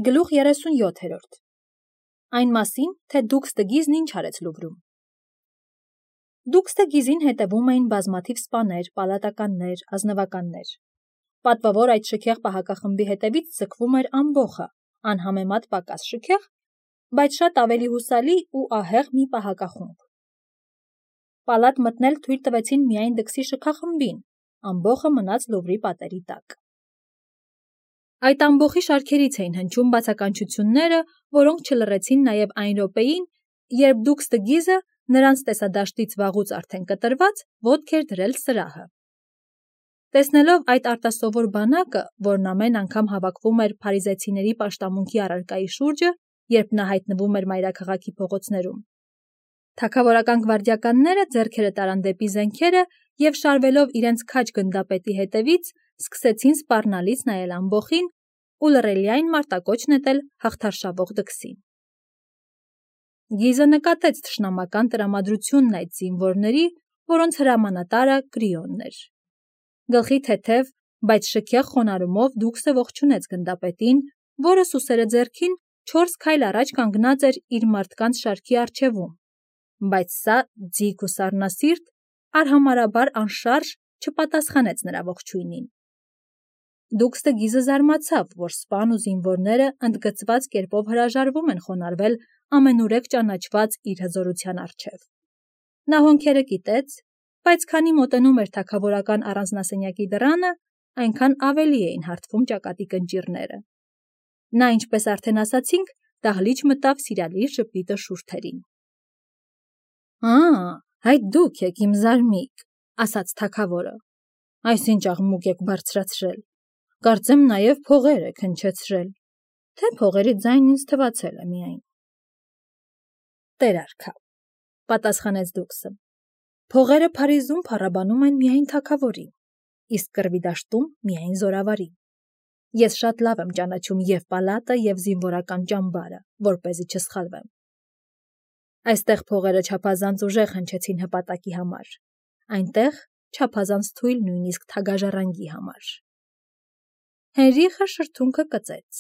Գլուխ 37 Այն մասին, թե Դուքս Տգիզն ինչ արեց Լուվրում։ Դուքս Տգիզին հետևում էին բազմաթիվ սպաներ, պալատականներ, ազնվականներ։ Պատվավոր այդ շքեղ պահակախմբի հետևից ձգվում էր ամբոխը, անհամեմատ պակաս շքեղ, բայց շատ ավելի հուսալի ու ահեղ մի պահակախումբ։ Պալատ մտնել թույլ տվեցին միայն Դքսի շքախմբին, ամբոխը մնաց Լուվրի պատերի տակ։ Այդ ամբոխի շարքերից էին հնչում բացականչությունները, որոնք չլռեցին նաև այն րոպեին, երբ Դուքս Տգիզը, նրանց տեսադաշտից վաղուց արդեն կտրված, ոտք էր դրել սրահը։ Տեսնելով այդ արտասովոր բանակը, որն ամեն անգամ հավաքվում էր փարիզեցիների պաշտամունքի առարկայի շուրջը, երբ նա հայտնվում էր մայրաքաղաքի փողոցներում, թագավորական գվարդիականները ձեռքերը տարան դեպի զենքերը և շարվելով իրենց քաջ գնդապետի հետևից, սկսեցին սպառնալից նայել ամբոխին ու լռելիայն մարտակոչ նետել հաղթարշավող Դքսին։ Գիզը նկատեց թշնամական տրամադրությունն այդ զինվորների, որոնց հրամանատարը Կրիոնն էր։ Գլխի թեթև, բայց շքեղ խոնարհումով Դուքսը ողջունեց գնդապետին, որը սուսերը ձեռքին 4 քայլ առաջ կանգնած էր իր մարդկանց շարքի առջևում, բայց սա ձիգ ու սառնասիրտ, արհամարհաբար անշարժ չպատասխանեց նրա ողջույնին։ Դուքս Տգիզը զարմացավ, որ սպան ու զինվորները ընդգծված կերպով հրաժարվում են խոնարհվել ամենուրեք ճանաչված իր հզորության առջև։ Նա հոնքերը կիտեց, բայց քանի մոտենում էր թագավորական առանձնասենյակի դռանը, այնքան ավելի էին հարթվում ճակատի կնճիռները։ Նա, ինչպես արդեն ասացինք, դահլիճ մտավ սիրալիր ժպիտը շուրթերին։ Այդ դուք եք իմ զարմիկ, ասաց թագավորը։ Այսինչ աղմուկ եք բարձրացրել։ Կարծեմ նաև փողեր եք հնչեցրել, թե փողերի ձայնն ինձ թվացել է միայն։ Տեր արքա, պատասխանեց Դուքսը։ Փողերը Փարիզում փառաբանում են միայն թագավորին, իսկ կռվի դաշտում միայն զորավարին։ Ես շատ լավ եմ ճանաչում և պալատը, և զինվորական ճամբարը, որպեսզի չսխալվեմ։ Այստեղ փողերը չափազանց ուժեղ հնչեցին հպատակի համար, այնտեղ չափազանց թույլ նույնիսկ թագաժառանգի համար։ Հենրիխը շրթունքը կծեց։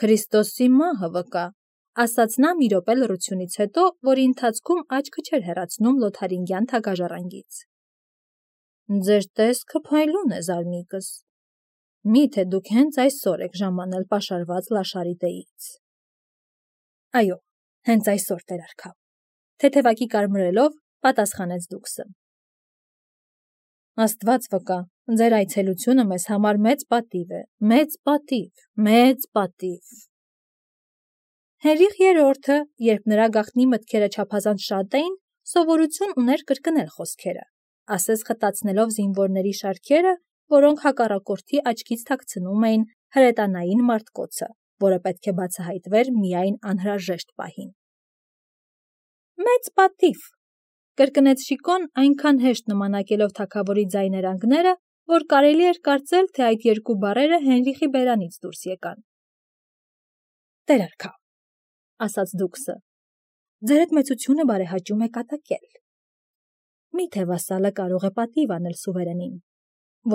Քրիստոսի մահը վկա, ասաց նա մի րոպե լռությունից հետո, որի ընթացքում աչքը չէր հեռացնում Լոթարինգյան թագաժառանգից։ Ձեր տեսքը փայլուն է, զարմիկս։ Միթե դուք հենց այսօր եք ժամանել պաշարված Լաշարիտեից։ Այո, հենց այսօր, տեր արքա, թեթևակի կարմրելով պատասխանեց Դուքսը։ Աստված վկա, ձեր այցելությունը մեզ համար մեծ պատիվ է, մեծ պատիվ, մեծ պատիվ։ Հենրիխ III-ը, երբ նրա գաղտնի մտքերը չափազանց շատ էին, սովորություն ուներ կրկնել խոսքերը, ասես խտացնելով զինվորների շարքերը, որոնք հակառակորդի աչքից թաքցնում էին հրետանային մարտկոցը, որը պետք է բացահայտվեր միայն անհրաժեշտ պահին։ Մեծ պատիվ, կրկնեց Շիկոն այնքան հեշտ նմանակելով թագավորի ձայներանգները, որ կարելի էր կարծել, թե այդ երկու բառերը Հենրիխի բերանից դուրս եկան։ Տեր արքա, ասաց Դուքսը, ձեր այդ մեծությունը բարեհաճում է կատակել։ Միթե վասալը կարող է պատիվ անել սուվերենին,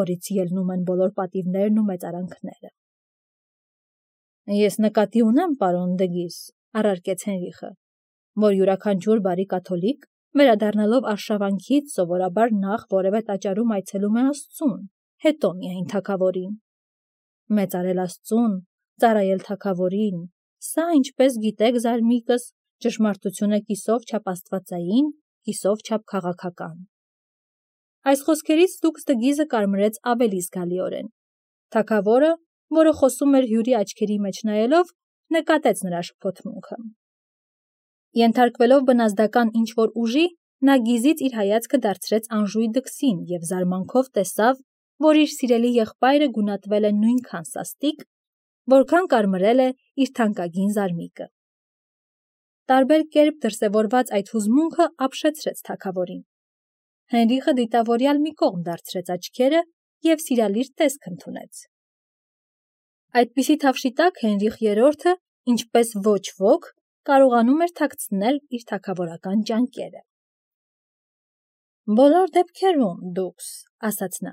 որից ելնում են բոլոր պատիվներն ու մեծարանքները։ Ես նկատի ունեմ, պարոն Դգիզ, առարկեց Հենրիխը, որ յուրաքանչյուր բարի կաթոլիկ, վերադառնալով արշավանքից, սովորաբար նախ որևէ տաճարում այցելում է Աստծուն, հետո միայն թագավորին։ Մեծարել Աստծուն, ծառայել թագավորին, սա, ինչպես գիտեք, զարմիկս, ճշմարտություն է կիսով չափ աստվածային, կիսով չափ քաղաքական։ Այս խոսքերից Դուքս Տգիզը կարմրեց ավելի զգալիորեն։ Թագավորը, որը խոսում էր հյուրի աչքերի մեջ նայելով, նկատեց նրա շփոթմունքը։ Ենթարկվելով բնազդական ինչ-որ ուժի, նա գիզից իր հայացքը դարձրեց անժույգ Դքսին և զարմանքով տեսավ, որ իր սիրելի եղբայրը գունատվել է նույնքան սաստիկ, որքան կարմրել է իր թանկագին զարմիկը։ Տարբեր կերպ դրսևորված այդ հուզմունքը ապշեցրեց թագավորին։ Հենրիխը դիտավորյալ մի կողմ դարձրեց աչքերը և սիրալիր տեսք ընդունեց։ Այդպիսի թավշի տակ Հենրիխ III-ը, ինչպես ոչ ոք, կարողանում էր թաքցնել իր թագավորական ճանկերը։ Բոլոր դեպքերում, Դուքս, ասաց նա,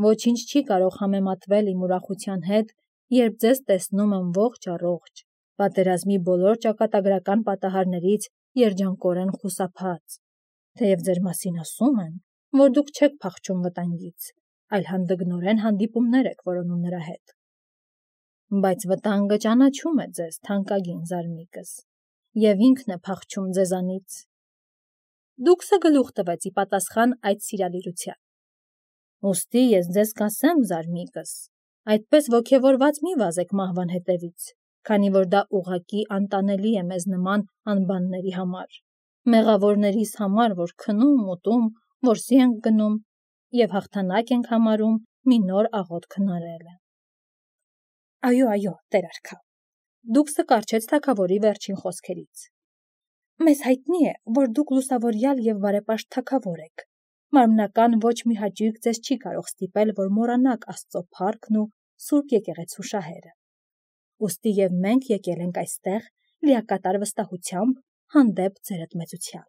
ոչինչ չի կարող համեմատվել իմ ուրախության հետ, երբ ձեզ տեսնում եմ ողջ առողջ, պատերազմի բոլոր ճակատագրական պատահարներից երջանկորեն խուսափած, թեև ձեր մասին ասում են, որ դուք չեք փախչում վտանգից, այլ հանդգնորեն հանդիպումներ եք որոնում նրա հետ։ Բայց վտանգը ճանաչում է ձեզ, թանկագին զարմիկս, և ինքն է փախչում ձեզանից։ Դուքսը գլուխ տվեց ի պատասխան այդ սիրալիրության։ Ուստի ես ձեզ կասեմ, զարմիկս, այդպես ոգևորված մի վազեք մահվան հետևից, քանի որ դա ուղղակի անտանելի է մեզ նման անբանների համար, մեղավորներիս համար, որ քնում, ուտում, որսի ենք գնում և հաղթանակ ենք համարում մի նոր աղոթք հնարելը։ Այո, տեր արքա, Դուքսը կառչեց թագավորի վերջին խոսքերից։ Մեզ հայտնի է, որ դուք լուսավորյալ և բարեպաշտ թագավոր եք։ Մարմնական ոչ մի հաճույք ձեզ չի կարող ստիպել, որ մոռանաք Աստծո փառքն ու Սուրբ եկեղեցու շահերը։ Ուստի և մենք եկել ենք այստեղ լիակատար վստահությամբ հանդեպ ձերդ մեծության։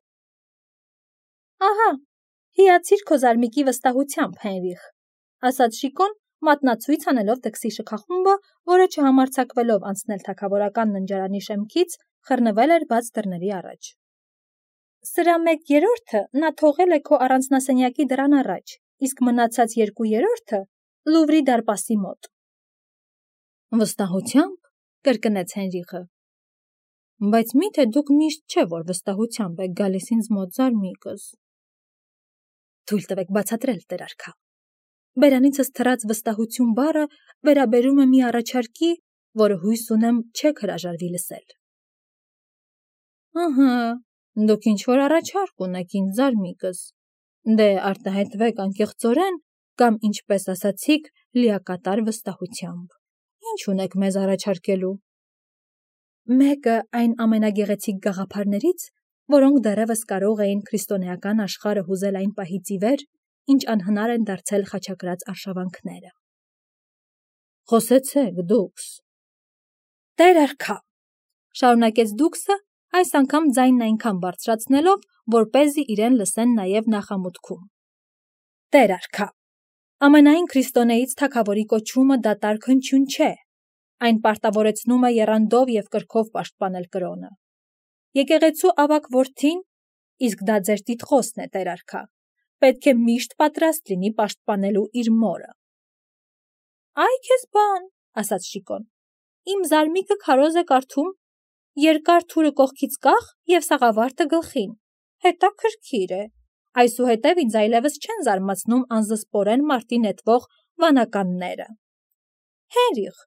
Ահա, հիացիր քո զարմիկի վստահությամբ, Հենրիխ, ասաց Շիկոն, մատնացույց անելով դքսի շքախումբը, որը չհամարձակվելով անցնել թագավորական ննջարանի շեմքից, խռնվել էր բաց դռների առաջ։ Սրա 1/3-ը նա թողել է քո առանձնասենյակի դռան առաջ, իսկ մնացած 2/3-ը Լուվրի դարպասի մոտ։ Վստահությամբ, կրկնեց Հենրիխը։ Բայց միթե դուք միշտ չէ, որ վստահությամբ եք գալիս ինձ մոտ, զարմիկս։ Թույլ տվեք բացատրել, տեր արքա։ Բերանիցս թռած վստահություն բառը վերաբերում է մի առաջարկի, որը հույս ունեմ չեք հրաժարվի լսել։ Ահա, դուք ինչ-որ առաջարկ ունեք ինձ, զարմիկս։ Դե արտահայտվեք անկեղծորեն կամ, ինչպես ասացիք, լիակատար վստահությամբ։ Ինչ ունեք մեզ առաջարկելու։ Մեկը այն ամենագեղեցիկ գաղափարներից, որոնք դեռևս կարող էին քրիստոնեական աշխարհը հուզել այն պահից ի վեր, ինչ անհնար են դարձել խաչակրաց արշավանքները։ Խոսեցեք, Դուքս։ Տեր արքա, շարունակեց Դուքսը, այս անգամ ձայնն այնքան բարձրացնելով, որպեսզի իրեն լսեն նաև նախամուտքում։ Տեր արքա, ամենայն քրիստոնեից թագավորի կոչումը դատարկ հնչյուն չէ, այն պարտավորեցնում է եռանդով և կրքով պաշտպանել կրոնը։ Եկեղեցու ավագ որդին, իսկ դա ձեր տիտղոսն է, տեր արքա, պետք է միշտ պատրաստ լինի պաշտպանելու իր մորը։ Այ քեզ բան, ասաց Շիկոն, իմ զարմիկը քարոզ է կարդում, երկար թուրը կողքից կախ և սաղավարտը գլխին, հետաքրքիր է, այսուհետև ինձ այլևս չեն զարմացնում անզսպորեն մարտի նետվող վանականները։ Հենրիխ,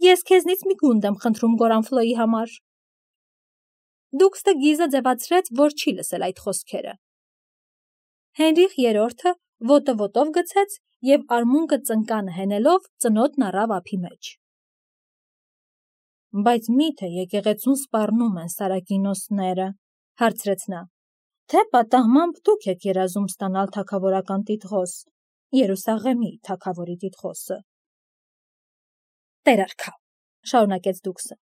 ես քեզնից մի գունդ եմ խնդրում Գորանֆլոյի համար։ Դուքսը գիզը ձևացրեց, որ չի լսել այդ խոսքերը։ Հենրիխ III-ը ոտը ոտով գցեց և արմունկը ծնկանը հենելով ծնոտն առավ ափի մեջ։ Բայց միթե եկեղեցուն սպառնում են սարակինոսները, հարցրեց նա, թե պատահմամբ դուք եք երազում ստանալ թագավորական տիտղոս, Երուսաղեմի թագավորի տիտղոսը։ Տեր արքա, շարունակեց Դուքսը,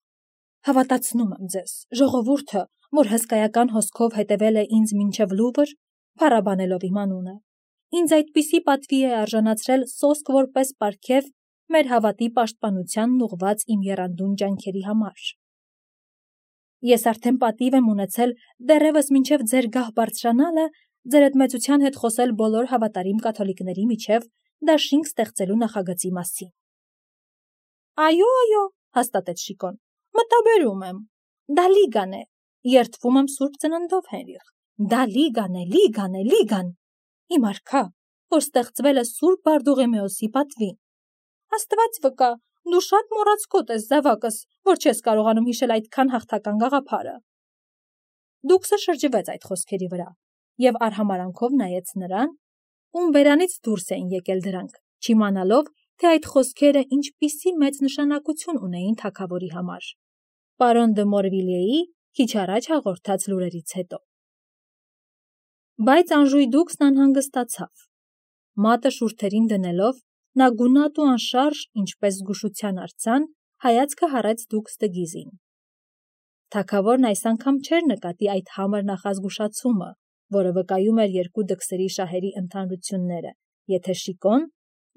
հավատացնում եմ ձեզ, ժողովուրդը, որ հսկայական հոսքով հետևել է ինձ մինչև Լուվր, փառաբանելով իմ անունը, ինձ այդպիսի պատվի է արժանացրել սոսկ որպես պարգև մեր հավատի պաշտպանությանն ուղված իմ եռանդուն ջանքերի համար։ Ես արդեն պատիվ եմ ունեցել դեռևս մինչև ձեր գահ բարձրանալը ձեր մեծության հետ խոսել բոլոր հավատարիմ կաթոլիկների միջև դաշինք ստեղծելու նախագծի մասին։ Այո, հաստատեց Շիկոն, մտաբերում եմ, դա լիգան է, երդվում եմ Սուրբ Ծննդով, Հենրիխ, դա լիգան, իմ արքա, որ ստեղծվել է Սուրբ Բարդուղիմեոսի պատվին։ Աստված վկա, դու շատ մոռացկոտ ես, զավակս, որ չես կարողանում հիշել այդքան հաղթական գաղափարը։ Դուքսը շրջվեց այդ խոսքերի վրա և արհամարանքով նայեց նրան, ում բերանից դուրս էին եկել դրանք, չիմանալով, թե այդ խոսքերը ինչպիսի մեծ նշանակություն ունեին թագավորի համար։ Պարոն դը Մորվիլիեի քիչ առաջ հաղորդած լուրերից հետո։ Բայց անժույգ Դուքսն անհանգստացավ։ Մատը շուրթերին դնելով, նա գունատ ու անշարժ, ինչպես զգուշության արձան, հայացքը հառեց Դուքս դը Գիզին։ Թագավորն այս անգամ չէր նկատի այդ համր նախազգուշացումը, որը վկայում էր երկու դքսերի շահերի ընդհանրությունները, եթե Շիկոն,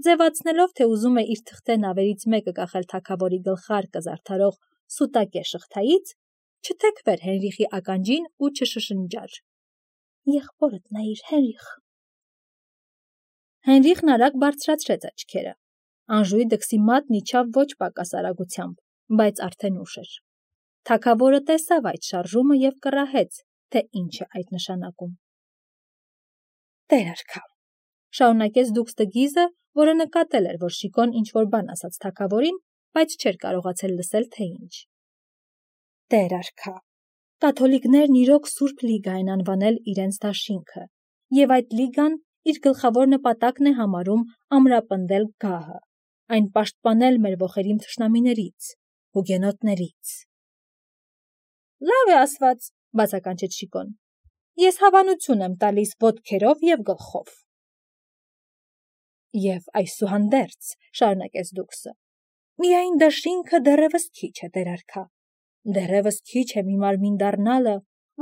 ձևացնելով, թե ուզում է իր թղթեն ավերից մեկը կախել թագավորի գլխարկը զարդարող սուտակե շղթայից, չթեքվեր Հենրիխի ականջին ու չշշնջար. «Եղբորդ նայիր, Հենրիխ»։ Հենրիխն արագ բարձրացրեց աչքերը։ Անժուի դքսի մատն իջավ ոչ պակաս արագությամբ, բայց արդեն ուշ էր։ Թագավորը տեսավ այդ շարժումը և կռահեց, թե ինչ է այդ նշանակում։ «Տեր արքա», շարունակեց դուքստը Գիզը, որը նկատել էր, որ Շիկոն ինչ-որ բան ասաց թագավորին, բայց չէր կարողացել լսել, թե ինչ։ «Տեր արքա, կաթոլիկներն իրոք Սուրբ Լիգա են անվանել իրենց դաշինքը, և այդ լիգան իր գլխավոր նպատակն է համարում ամրապնդել գահը, այն պաշտպանել մեր ոխերիմ թշնամիներից, հուգենոտներից»։ «Լավ է ասված», բացականչեց Շիկոն։ «Ես հավանություն եմ տալիս ոտքերով և գլխով»։ «Եվ այսուհանդերձ», շարունակեց դուքսը, «միայն դաշինքը դեռևս քիչ է, Տեր արքա, դեռևս քիչ է մի մարմին դառնալը,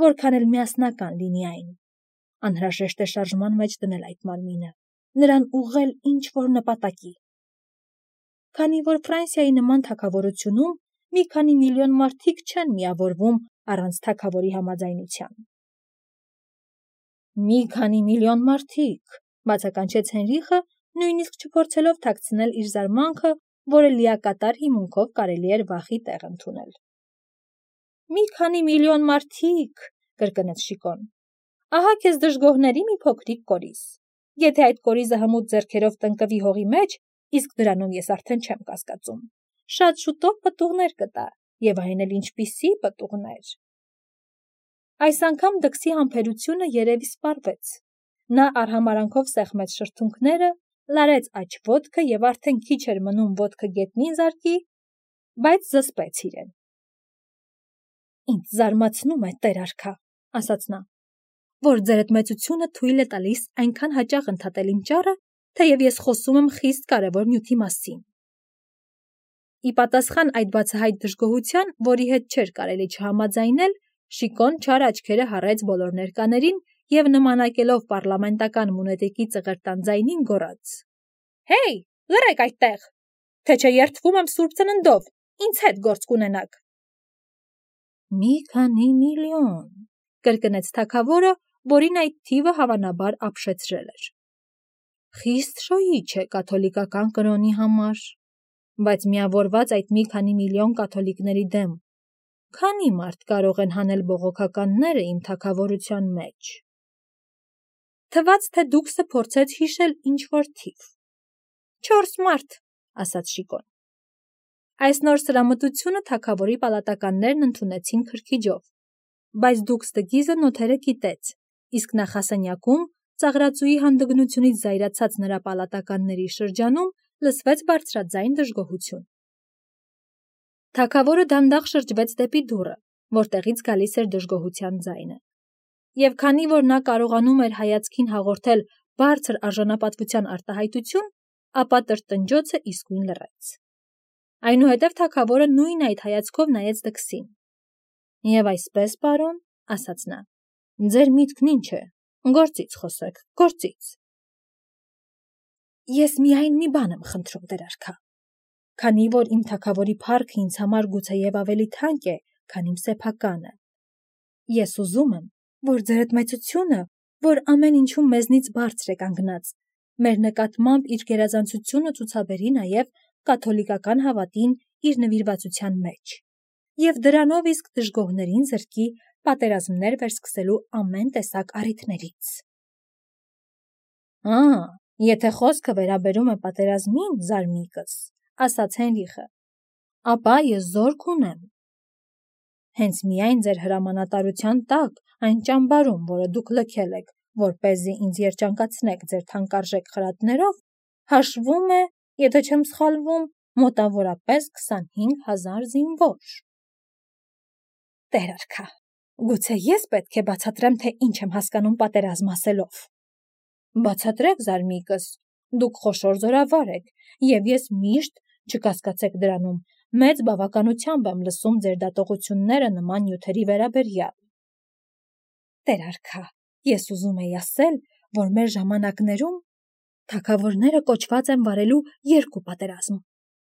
որքան էլ միասնական լինի այն։ Անհրաժեշտ է շարժման մեջ դնել այդ մարմինը, նրան ուղղել ինչ-որ նպատակի։ Քանի որ Ֆրանսիայի նման թագավորությունում մի քանի միլիոն մարդիկ չեն միավորվում առանց թագավորի համաձայնության»։ «Մի քանի միլիոն մարդիկ», բացականչեց Հենրիխը, նույնիսկ չփորձելով թաքցնել իր զարմանքը, որը լիակատար հիմունքով կարելի էր վախի տեղ ընդունել։ «Մի քանի միլիոն մարդիկ», կրկնեց Շիկոն։ «Ահա քեզ դժգոհների մի փոքրիկ կորիզ։ Եթե այդ կորիզը հմուտ ձեռքերով տնկվի հողի մեջ, իսկ դրանում ես արդեն չեմ կասկածում, շատ շուտով պտուղներ կտա, և այն էլ ինչպիսի պտուղներ»։ Այս անգամ դքսի համբերությունը երևի սպառվեց։ Նա արհամարանքով սեղմեց շրթունքները, լարեց աջ ոտքը և արդեն քիչ էր մնում ոտքը գետնին զարկի, բայց զսպեց իրեն։ «Ինձ զարմացնում է, Տեր արքա», ասաց նա, «որ ձերդ մեծությունը թույլ է տալիս այնքան հաճախ ընդհատել իմ ճառը, թեև ես խոսում եմ խիստ կարևոր նյութի մասին»։ Ի պատասխան այդ բացահայտ դժգոհության, որի հետ չէր կարելի չհամաձայնել, Շիկոն չար աչքերը հառեց բոլոր ներկաներին և նմանակելով պառլամենտական մունետիկի ծղրտան ձայնին գոռաց. «Հեյ, լռեք այդտեղ, թե չէ երդվում եմ Սուրբ Ծննդով, ինձ հետ գործ կունենաք»։ «Մի քանի միլիոն», կրկնեց թագավորը, որին այդ թիվը հավանաբար ապշեցրել էր։ «Խիստ շոյիչ է կաթոլիկական կրոնի համար, բայց միավորված այդ մի քանի միլիոն կաթոլիկների դեմ քանի՞ մարդ կարող են հանել բողոքականները իմ թագավորության մեջ»։ Թվաց, թե դուքսը փորձեց հիշել ինչ-որ թիվ։ «4 մարդ», ասաց Շիկոն։ Այս նոր սրամտությունը թագավորի պալատականներն ընդունեցին քրքիջով, բայց դուքստը Գիզը նոթերը կիտեց, իսկ նախասենյակում ծաղրածուի հանդգնությունից զայրացած նրա պալատականների շրջանում լսվեց բարձրաձայն դժգոհություն։ Թագավորը դանդաղ շրջվեց դեպի դուռը, որտեղից գալիս էր դժգոհության ձայնը։ Եվ քանի որ նա կարողանում էր հայացքին հաղորդել բարձր արժանապատվության արտահայտություն, ապա տրտնջոցը իսկույն լռեց։ Այնուհետև թագավորը նույն այդ հայացքով նայեց դքսին։ «Եվ այսպես, պարոն», ասաց նա, «ձեր միտքն ինչ է, գործից խոսեք, գործից»։ «Ես միայն մի բան եմ խնդրում, Տեր արքա, քանի որ իմ թագավորի փառքը ինձ համար գուցեև ավելի թանկ է, քան իմ սեփականը։ Ես ուզում եմ, որ ձերդ մեծությունը, որ ամեն ինչում մեզնից բարձր է կանգնած, մեր նկատմամբ իր գերազանցությունը ցուցաբերի նաև կաթոլիկական հավատին իր նվիրվածության մեջ, և դրանով իսկ դժգոհներին զրկի պատերազմներ վերսկսելու ամեն տեսակ առիթներից»։ Եթե խոսքը վերաբերում է պատերազմին, զարմիկս, ասաց Հենրիխը, ապա ես զորք ունեմ։ Հենց միայն ձեր հրամանատարության տակ այն ճամբարում, որը դուք լքել եք, որպեսզի ինձ երջանկացնեք ձեր թանկարժեք խրատներով, հաշվում է, եթե չեմ սխալվում, մոտավորապես 25,000 զինվոր։ Տեր արքա, գուցե ես պետք է բացատրեմ, թե ինչ եմ հասկանում պատերազմ ասելով։ Բացատրեք, զարմիկս, դուք խոշոր զորավար եք, և ես միշտ, չկասկածեք դրանում, մեծ բավականությամբ եմ լսում ձեր դատողությունները նման նյութերի վերաբերյալ։ Տեր արքա, ես ուզում էի ասել, որ մեր ժամանակներում Թագավորները կոչված են վարելու երկու պատերազմ.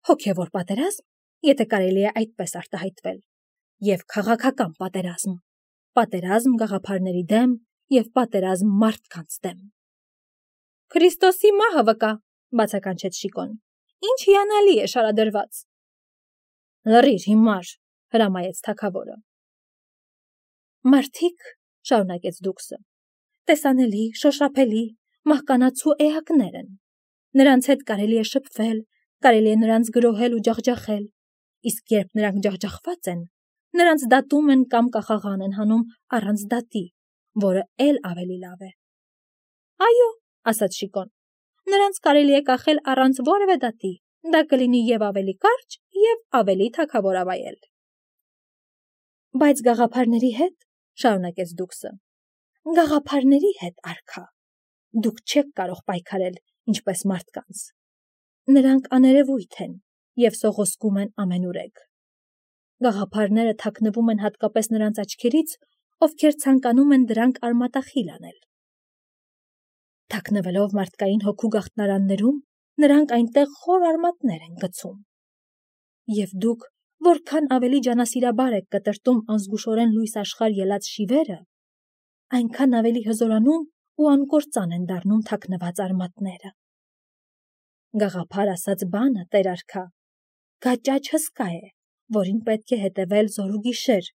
հոգևոր պատերազմ, եթե կարելի է այդպես արտահայտվել, եւ քաղաքական պատերազմ, պատերազմ գաղափարների դեմ եւ պատերազմ մարդկանց դեմ։ Քրիստոսի մահը վկա, բացականչեց Շիկոն։ Ինչ հիանալի է շարադրված։ Լռիր հիմար, հրամայեց թագավորը։ Մարդիկ, շարունակեց Դուքսը, տեսանելի, շոշափելի, մահկանացու էակներ են։ Նրանց հետ կարելի է շփվել, կարելի է նրանց գրոհել ու ջախջախել, իսկ երբ նրանք ջախջախված են, նրանց դատում են կամ կախաղան են հանում առանց դատի, որը էլ ավելի լավ է։ Այո, ասաց Շիկոն, նրանց կարելի է կախել առանց որևէ դատի, դա կլինի եւ ավելի կարճ, եւ ավելի թագավորավայել։ Բայց գաղափարների հետ, շարունակեց Դուքսը, գաղափարների հետ, արքա, դուք չեք կարող պայքարել ինչպես մարդկանց։ Նրանք աներևույթ են եւ սողոսկում են ամենուրեք։ Գաղափարները թաքնվում են հատկապես նրանց աչքերից, ովքեր ցանկանում են դրանք արմատախիլ անել։ Թաքնվելով մարդկային հոգու գաղտնարաններում, նրանք այնտեղ խոր արմատներ են գցում։ Եվ դուք որքան ավելի ջանասիրաբար եք կտրտում անզգուշորեն լույս աշխարհ ելած շիվերը, այնքան ավելի հզորանում ու անկործան են դառնում թաքնված արմատները։ Գաղափար ասած բանը, տեր արքա, գաճաճ հսկա է, որին պետք է հետևել զոր ու գիշեր,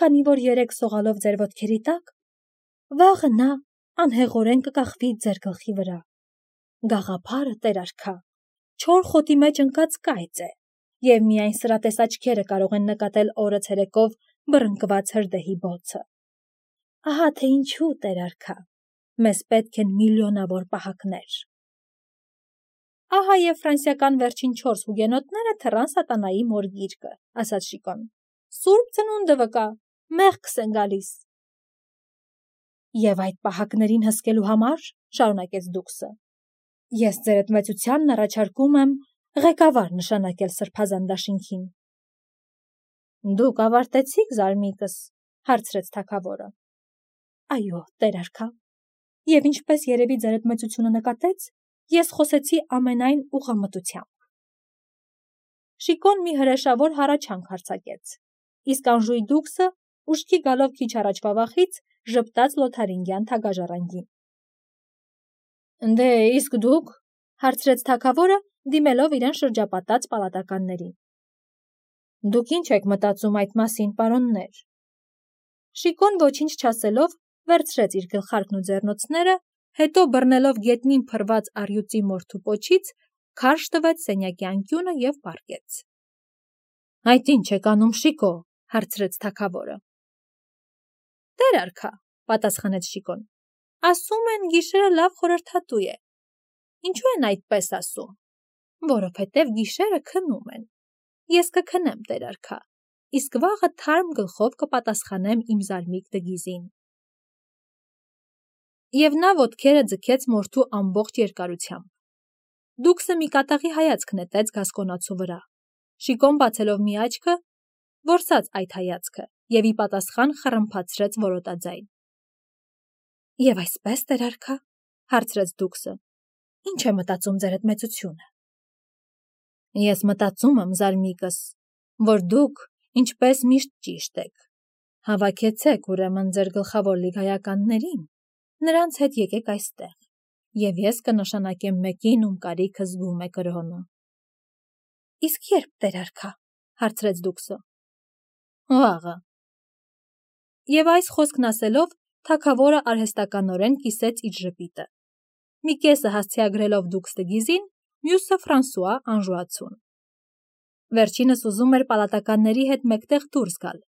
քանի որ երեք սողալով ձեր ոտքերի տակ, վաղը նա անհեղորեն կկախվի ձեր գլխի վրա։ Գաղափարը, տեր արքա, չոր խոտի մեջ ընկած կայծ է, եւ միայն սրատես աչքերը կարող են նկատել օրը ցերեկով բռնկված հրդեհի բոցը։ Ահա թե ինչու, տեր արքա, մեզ պետք են միլիոնավոր պահակներ։ Ահա եւ ֆրանսիական վերջին 4 հուգենոտները թռան սատանայի մոր գիրկը, ասաց Շիկոն։ Սուրբ ծնունդը վկա, մեղքս են գալիս։ Եվ այդ պահակներին հսկելու համար, շարունակեց Դուքսը, ես ձեր այդմեցությանն առաջարկում եմ ղեկավար նշանակել սրբազան դաշինքին։ Դուք ավարտեցիք զարմիկս, հարցրեց թագավորը։ Այո, տեր արքա։ Եվ ինչպես երևի ձեր այդմեցությունը նկատեց, ես խոսեցի ամենայն ուղղամտությամբ։ Շիկոն մի հրեշավոր հառաչանք հարձակեց, իսկ անժույգ Դուքսը ուշքի գալով քիչ առաջվա վախից ժպտաց լոթարինգյան թագաժառանգին։ Դե իսկ դուք, հարցրեց թագավորը, դիմելով իրեն շրջապատած պալատականներին։ Դուք ինչ եք մտածում այդ մասին, պարոններ։ Շիկոն ոչինչ չասելով վերցրեց իր գլխարկն ու ձեռնոցները, հետո բռնելով գետնին փռված առյուծի մորթու պոչից, քարշ տվեց սենյակի անկյունը եւ պառկեց։ Այդ ինչ եք անում, Շիկո, հարցրեց թագավորը։ Տեր արքա, պատասխանեց Շիկոն, ասում են գիշերը լավ խորհրդատու է։ Ինչու են այդպես ասում։ Որովհետև գիշերը քնում են։ Ես կքնեմ, տեր արքա, իսկ վաղը թարմ գլխով կպատասխանեմ իմ զարմիկ դգիզին։ Եվ նա ոտքերը ձգեց մորթու ամբողջ երկարությամբ։ Դուքսը մի կատաղի հայացք նետեց գասկոնացու վրա։ Շիկոն բացելով մի աչքը, որսաց այդ հայացքը եւ ի պատասխան խռմփացրեց որոտաձայն։ Եվ այսպես, տեր արքա, հարցրեց Դուքսը, ինչ է մտածում ձեր այդմեցությունը։ Ես մտածում եմ, զարմիկս, որ դուք, ինչպես միշտ ճիշտ եք, հավաքեցեք ուրեմն ձեր գլխավոր լիգայականներին, նրանց հետ եկեք այստեղ, եւ ես կնշանակեմ մեկին, ում կարիքը զգում է կրոնը։ Իսկ երբ, տեր արքա, հարցրեց Դուքսը։ Վաղը։ Եվ այս խոսքն ասելով, թագավորը արհեստականորեն կիսեց իր ժպիտը։ Մի կեսը հասցեագրելով Դուքս դգիզին, մյուսը Ֆրանսուଆ անժուացուն։ Վերջինս ուզում էր պալատականների հետ մեկտեղ դուրս գալ,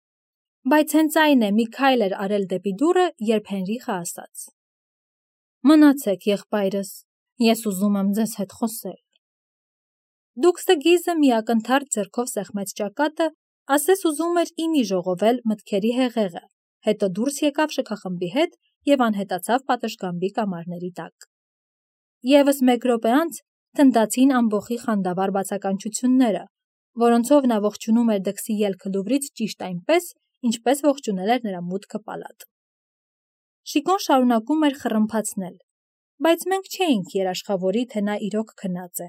բայց հենց այն է մի քայլ էր արել դեպի դուռը, երբ Հենրիխը ասաց. Մնացեք, եղբայրս, ես ուզում եմ ձեզ հետ խոսել։ Դուքս դգիզը մի ակնթարթ ձեռքով սեղմեց ճակատը, ասես ուզում էր իմի ժողովել մտքերի հեղեղը, հետո դուրս եկավ շքախմբի հետ եւ անհետացավ պատշգամբի կամարների տակ։ Եվս մեկ րոպե անց թնդացին ամբոխի խանդավառ բացականչությունները, որոնցով նա ողջունում էր դքսի ելքը Լուվրից ճիշտ այնպես, ինչպես ողջունել էր նրա մուտքը պալատ։ Շիկոն շարունակում էր խռմփացնել, բայց մենք չէինք երաշխավորի, թե նա իրոք քնած է։